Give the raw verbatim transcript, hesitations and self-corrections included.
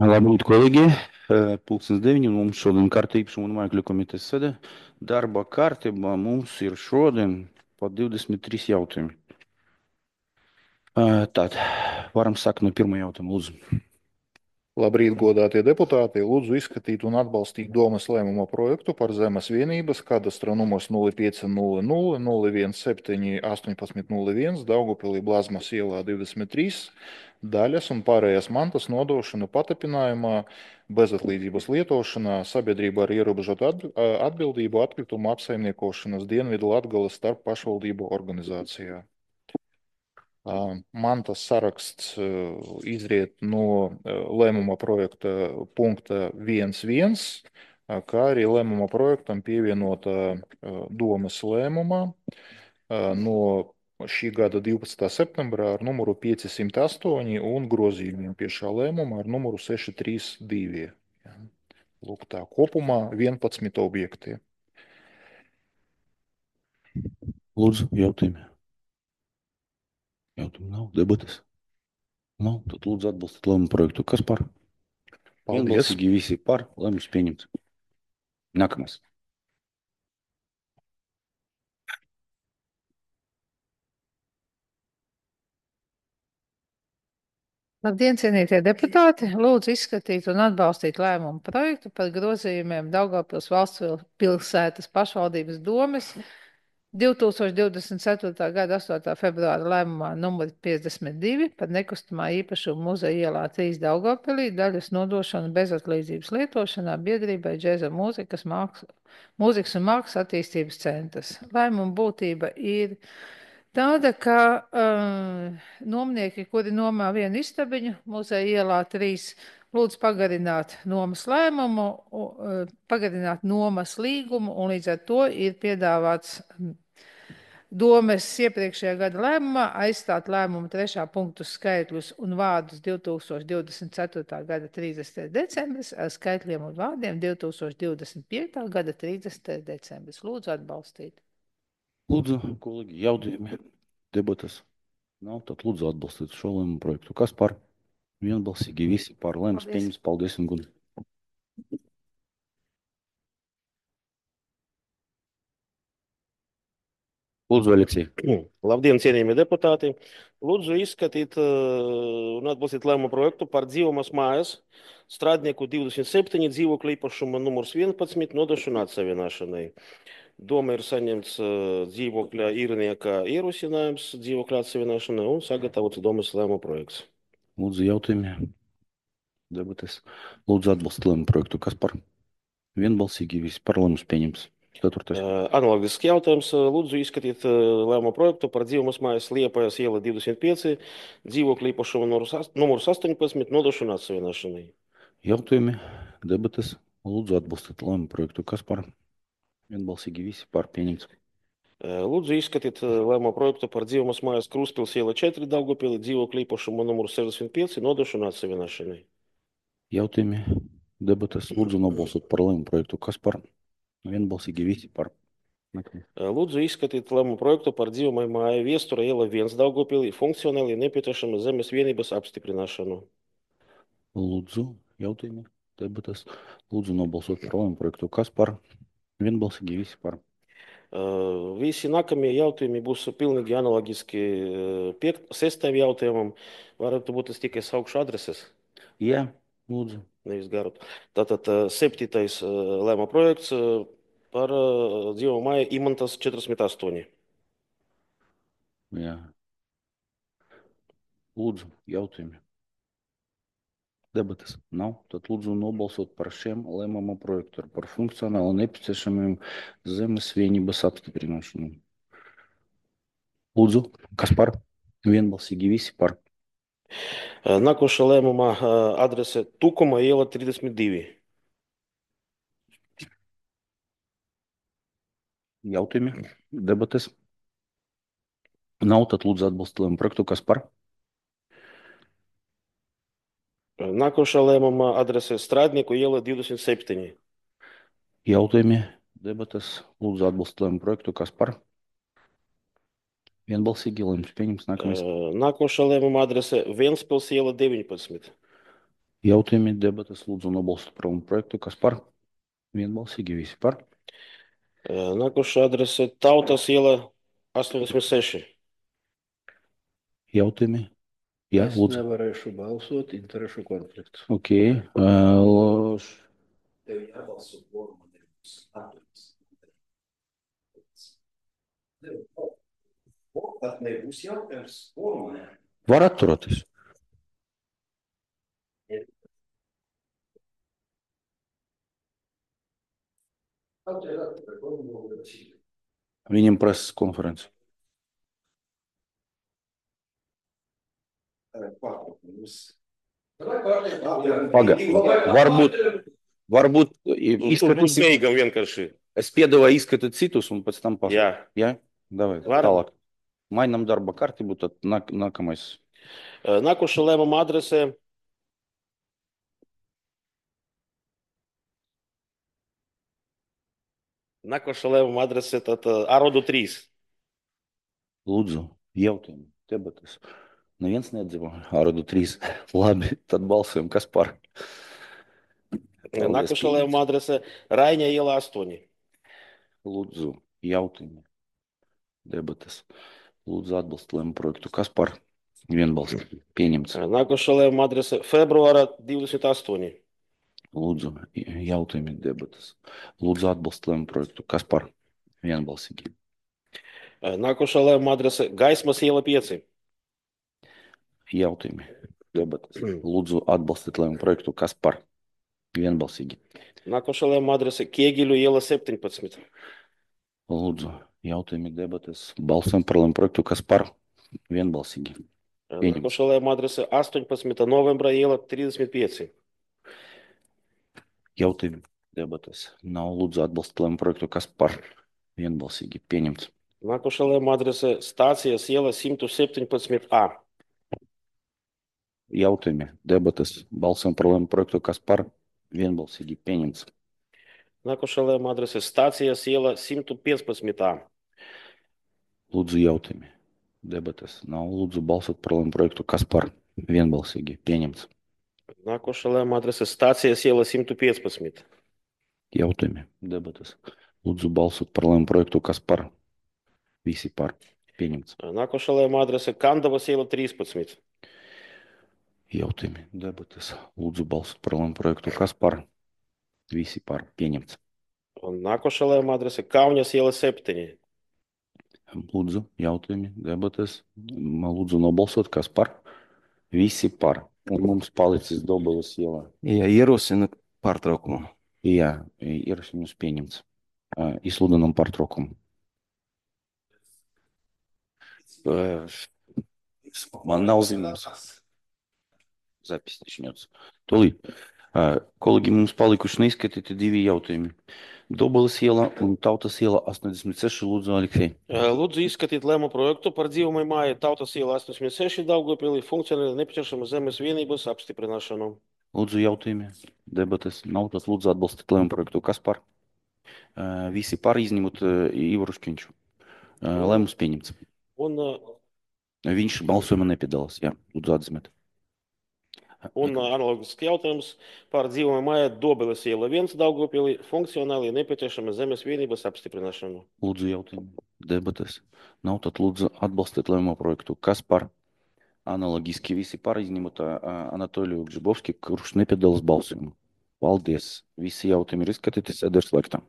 Labrīt, kolēģi! Pulkstens deviņi, un mums šodien kārta īpašuma un māju komitejas sēde. Darba kārtībā mums ir šodien pa divdesmit trīs jautājumi. Tātad, varam sākt no pirmā jautājuma, lūdzu. Labrīt, godātie deputāti! Lūdzu izskatīt un atbalstīt domas lēmuma projektu par zemes vienības kadastra numurs nulle pieci nulle nulle nulle viens septiņi astoņpadsmit nulle viens Daugavpilī Blazmas ielā divdesmit trīs daļas un pārējās mantas nodošanu patapinājumā bezatlīdzības lietošanā sabiedrība ar ierobežotu atbildību atkritumu apsaimniekošanas Dienvidu Latgales starp pašvaldību organizācijā. Mantas saraksts izriet no lēmuma projekta punkta viens viens, kā arī lēmuma projektam pievienota domas lēmumā no šī gada divpadsmitā septembrā ar numuru piecsimt astoņi un grozījumiem pie šā lēmuma ar numuru seši trīs divi. Lūk tā, kopumā vienpadsmit objekti. Lūdzu, jautājumi. Jautājumu nav, debatas nav, tad lūdzu atbalstīt lēmumu projektu. Kas par? Paldies. Vienbalsīgi visi par, lēmums pieņemts. Nākamais. Labdien, cienītie deputāti! Lūdzu izskatīt un atbalstīt lēmumu projektu par grozījumiem Daugavpils valsts pilsētas pašvaldības domes divi tūkstoši divdesmit ceturtā gada astotā februāra lēmumā numur piecdesmit divi par nekustamā īpašuma muzeja ielā trīs Daugavpilī daļas nodošanu bezatlīdzības lietošanā biedrībai Džēza mūzikas, māks, mūzikas un mākslas attīstības centrs. Lēmuma būtība ir tāda, ka uh, nomnieki, kuri nomā vienu istabiņu muzeja ielā trīs, lūdzu pagarināt nomas lēmumu, uh, pagarināt nomas līgumu, un līdz ar to ir piedāvāts domes iepriekšējā gada lēmumā aizstāt lēmumu trešā punktu skaitļus un vārdus divi tūkstoši divdesmit ceturtā gada trīsdesmitais decembris ar skaitļiem un vārdiem divi tūkstoši divdesmit piekta gada trīsdesmitais decembris. Lūdzu atbalstīt. Lūdzu, kolēģi, jautājumi, debatas nav, tad lūdzu atbalstīt šo lēmumu projektu. Kas par? Vienbalsīgi visi par, lēmums pieņemts. Paldies un gudi. Lūdzu, Aleksij. Labdien, cienījamie deputāti! Lūdzu izskatīt uh, un atbalstīt lēmumu projektu par dzīvomas mājas strādnieku divdesmit septiņi dzīvokļa īpašuma numurs vienpadsmit nodošanu atsevienošanai. Doma ir saņemts uh, dzīvokļa īrnieka ierosinājums dzīvokļa atsevienošanai un sagatavots domas lēmumu projekts. Lūdzu, jautājumi, debates. Lūdzu atbalstīt lēmumu projektu. Kas par? Vienbalsīgi visi par, lēmums pieņemts. Ceturtais. Analogisks jautājums. Lūdzu izskatīt lēmumu projektu par dzīvomas mājas Liepājas iela divdesmit pieci dzīvokļa īpašuma numurs astoņpadsmit nodošanu atsevienošanai. Jautājumi, debates. Lūdzu atbalstīt lēmumu projektu. Kas par? Vienbalsīgi visi par, pieņemts. Lūdzu izskatīt lēmumu projektu par dzīvomas mājas Krustpils iela četri Daugavpilī dzīvokļa īpašuma numurs sešdesmit pieci nodošanu atsevienošanai. Jautājumi, debates. Lūdzu nobalsot par lēmumu projektu. Kas par? Vienbalsīgi visi par. Lūdzu izskatīt lēmumu projektu par dzīvojamai mājai Viestura iela viens Daugavpilī funkcionāli nepieciešama zemes vienības apstiprināšanu. Lūdzu, jautājumi, debates. Lūdzu nobalsot par lēmumu projektu. Kas par? Vienbalsīgi visi par. Uh, visi nākamie jautājumi būs pilnīgi analogiski uh, sestajam jautājumam. Varētu būt es tikai saukšu adreses. Jā, lūdzu. Nevis garot. Tātad uh, septītais uh, lēmuma projekts uh, par uh, dzīvo māju Imantas četrdesmit astoņi. Jā. Lūdzu, jautājumi. Debatas nav. Tad lūdzu nobalsot par šiem lēmuma projektu par funkcionāli nepieciešamiem zemes vienības apstiprināšanu. Lūdzu, kas par? Vienbalsīgi visi par. Nākošā lēmuma adrese Tukuma iela trīsdesmit divi. Jautājumi, debates. Nav, tad lūdzu atbalstīt lēmumu projektu. Kas par? Nākošā lēmuma adrese Strādnieku iela divdesmit septiņi. Jautājumi, debates. Lūdzu atbalstīt lēmumu projektu. Kas par? Vienbalsīgi lēmums pieņems. Nākamais. Nākošā lēmuma adrese Ventspils iela deviņpadsmit. Jautājumi, debatas, lūdzu nobalsot par projektu. Kas par? Vienbalsīgi visi par. Nākošā adrese Tautas iela astoņdesmit seši. Jautājumi? Jā, Es lūdzu. nevarēšu balsot, interešu konflikts. Ok. Uh, Tev jābalso formā nebūs atturas. Tad nebūs jautājums formā. var atturoties. Viņam preses konferences. Paga. Varbūt, varbūt izskatīt, Beigam vienkārši. es piedāvāju izskatīt citus un pēc tam pasaka. Jā. Jā? Davai, Varam. tālāk. Mainam darba kārtību, tad nāk, nākamais. Nākošā lēmuma adrese Nākošā lēmuma adrese tad Arodu trīs. Lūdzu, jautājumi, debatas. Neviens nedzīvo. Arodu trīs. Labi, tad balsojam, kas par. Paldies, Nākošā pieņemts. lēmuma adrese Raiņa iela astoņi. Lūdzu, jautājumi, debatas. Lūdzu, atbalst lēmumu projektu. Kas par? Vienbalsīgi. Pieņemts. Nākošā lēmuma adrese Februāra divdesmit astoņi. Lūdzu, jautājumi, debatas. Lūdzu, atbalst lēmumu projektu. Kas par? Vienbalsīgi. Nākošā lēmuma adrese Gaismas iela pieci. Jautājumi, debatas. Lūdzu, atbalstīt lēmumu projektu. Kas par? Vienbalsīgi. Nākošā lēmuma adrese Kiegiļu iela septiņpadsmit. Lūdzu, jautājumi, debatas. Balsojam par lēmumu projektu. Kas par? Vienbalsīgi. Pieņemts. Nākošā lēmuma adrese astoņpadsmita novembra iela trīsdesmit pieci. Jautājumi, debatas. Nav lūdzu atbalstīt lēmumu projektu. Kas par? Vienbalsīgi. Pieņemts. Nākošā lēmuma adrese Stācijas iela simt septiņpadsmit A. Jautājumi, debatas. Balsojam par lēmumu projektu. Kas par? Vienbalsīgi. Pieņemts. Nākošā lēmuma adrese Stācijas iela simt piecpadsmit A. Lūdzu, jautājumi, debatas. Nav lūdzu balsot par lēmumu projektu. Kas par? Vienbalsīgi. Pieņemts. Nākošā lēmuma adrese Stācijas iela simt piecpadsmit. Jautājumi, debatas. Lūdzu balsot par lēmumu projektu. Kas par? Visi par. Pieņemts. Nākošā lēmuma adrese Kandavas iela trīspadsmit. Jautājumi, debatas. Lūdzu balsot par lēmumu projektu. Kas par? Visi par. Pieņemts. Un nākošā lēmuma adrese Kauņas iela septiņi. Lūdzu, jautājumi, debatas. Lūdzu nobalsot. Kas par? Visi par. Un mums palicis Dobeles ielā. Ja ierosina pārtraukumu. Jā, ierosinājumus pieņemts. Ā, Izsludinām pārtraukumu. Ā, Man nav zināms. Запись начнется. Tūlīt. Ā, Kolēģi, mums palikuši neizskatīti divi jautājumi. Dobeles iela un Tautas iela astoņdesmit seši. Lūdzu, Aleksej. Lūdzu izskatīt lēmumu projektu par dzīvojamai mājai Tautas iela astoņdesmit seši Daugavpilī funkcionāli nepieciešama zemes vienības apstiprināšanu. Lūdzu, jautājumi, debates. Nav tas lūdzu atbalstīt lēmumu projektu. Kas par? Ā, Visi par izņemot ā, Ivaru Škiņšu. Ā, Lēmums pieņemts. Un, Viņš balsojumā nepiedalās. Jā, lūdzu atzīmēt. un analogisks jautājums par dzīvojamai mājai Dobeles iela viens Daugavpilī funkcionāli nepieciešama zemes vienības apstiprināšanu. Lūdzu, jautājumi, debates. Nav tad lūdzu atbalstīt lēmumu projektu. Kas par? Analogiski visi par izņemot ā, Anatoliju Gžibovski, kurš nepiedalās balsojumā. Paldies. Visi jautājumi ir izskatīti. Sēde ir slēgta.